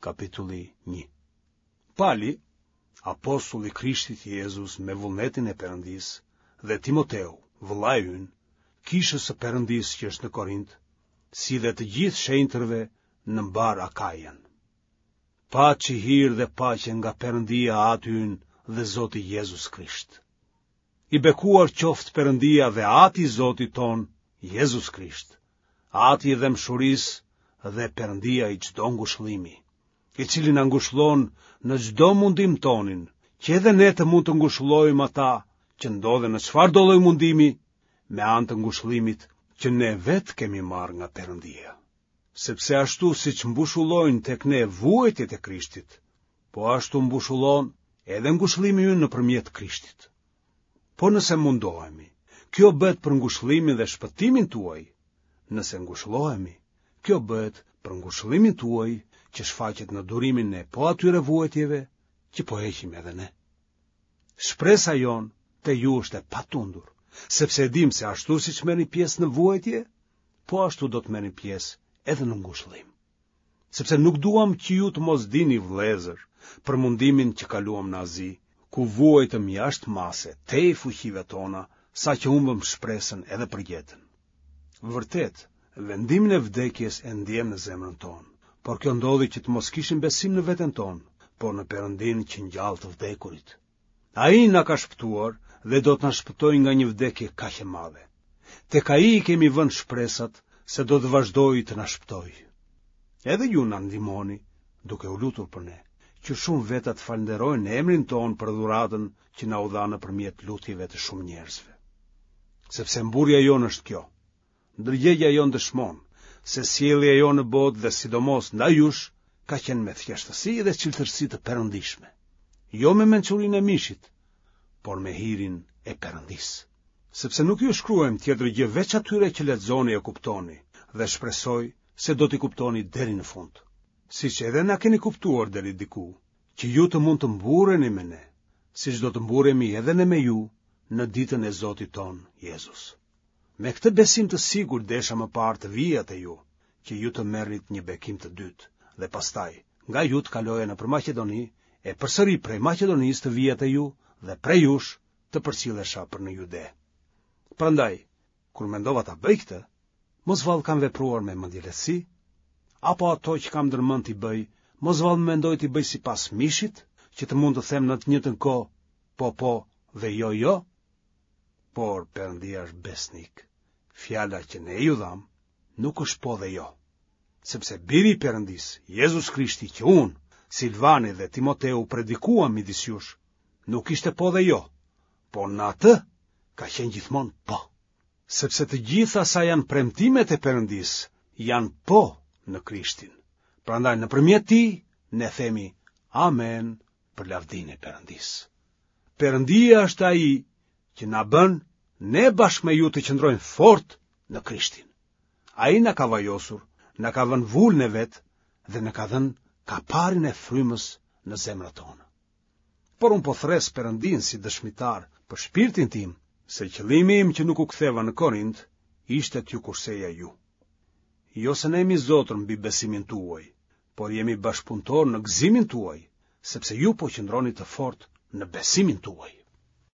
Kapitulli 1. Pali, apostull i Krishtit Jezus me vullnetin e Perëndisë, dhe Timoteu, vëllai ynë, kishës së Perëndisë që është në Korint, si dhe të gjithë shenjtërve në mbarë Akajën. Paçi hir dhe paqe nga Perëndia Ati ynë dhe Zoti Jezus Krisht. I bekuar qoftë Perëndia dhe Ati i Zotit tonë, Jezus Krisht, Ati i dhembshurisë dhe Perëndia i çdo ngushëllimi, i cili na ngushëllon në çdo mundim tonin, që edhe ne të mund të ngushëllojmë ata që ndodhen në çfarëdo lloj mundimi, me anë të ngushëllimit që ne vetë kemi marrë nga Perëndia. Sepse ashtu siç mbushulojnë tek ne vuajtjet e Krishtit, po ashtu mbushulon edhe ngushëllimi ynë nëpërmjet Krishtit. Por nëse mundohemi, kjo bëhet për ngushëllimin dhe shpëtimin tuaj. Nëse ngushëllohemi, kjo bëhet për ngushëllimin tuaj që shfaqet në durimin e po atyre vuajtjeve që po heqim edhe ne. Shpresa jonë te ju është e patundur, sepse e dimë se ashtu siç merrni pjesë në vuajtje, po ashtu do të merrni pjesë edhe në ngushëllim. Sepse nuk duam që ju të mos dini vëllezër për mundimin që kaluam në Azi, ku vuajtëm jashtë mase, tej fuqive tona, saqë humbëm shpresën edhe për jetën. Vërtet, vendimin e vdekjes e ndjemë në zemrën tonë, por kjo ndodhi që të mos kishim besim në veten tonë, por në Perëndinë që ngjall të vdekurit. Ai na ka shpëtuar dhe do të na shpëtojë nga një vdekje kaq e madhe. Tek ai i kemi vënë shpresat se do të vazhdojë të na shpëtojë. Edhe ju na ndihmoni duke u lutur për ne, që shumë veta të falënderojnë emrin tonë për dhuratën që na u dha nëpërmjet lutjeve të shumë njerëzve. Sepse mburrja jonë është kjo. Ndërgjegja jonë dëshmon se sjellja jonë në botë dhe sidomos ndaj jush ka qenë me thjeshtësi dhe çiltërsi të perëndishme. Jo me mençurinë e mishit, por me hirin e Perëndisë. Sepse nuk ju shkruajmë tjetër gjë veç atyre që lexoni e kuptoni dhe shpresoj se do t'i kuptoni deri në fund. Siç edhe na keni kuptuar deri diku, që ju të mund të mburreni me ne, siç do të mburremi edhe ne me ju në ditën e Zotit tonë Jezus. Me këtë besim të sigurt desha më parë të vija te ju, që ju të merrnit një bekim të dytë, dhe pastaj, nga ju të kaloja nëpër Maqedoni, e përsëri prej Maqedonisë të vija te ju dhe prej jush të përcillesha për në Jude. Prandaj, kur mendova ta bëj këtë, mos vallë kam vepruar me mendjelehtësi, apo ato që kam ndërmend t'i bëj, mos vallë mendoj t'i bëj sipas mishit, që të mund të them në të njëjtën kohë, po po dhe jo jo? Por Perëndia është besnik. Fjala që ne ju dhamë nuk është po dhe jo. Sepse biri i Perëndisë, Jezus Krishti që unë, Silvani dhe Timoteu predikuam midis jush, nuk ishte po dhe jo, por në atë ka qenë gjithmonë po. Sepse të gjitha sa janë premtimet e Perëndisë, janë po në Krishtin. Prandaj nëpërmjet tij ne themi amen për lavdinë e Perëndisë. Perëndia është ai që na bën ne bashkë me ju të qëndrojmë fort në Krishtin. Ai na ka vajosur, na ka vënë vulën e vet dhe na ka dhënë kaparin e frymës në zemrat tona. Por unë po thërras Perëndinë si dëshmitar për shpirtin tim, se qëllimi im që nuk u ktheva në Korint ishte t'ju kurseja ju. Jo se ne jemi zotër mbi besimin tuaj, por jemi bashkëpunëtorë në gëzimin tuaj, sepse ju po qëndroni të fortë në besimin tuaj.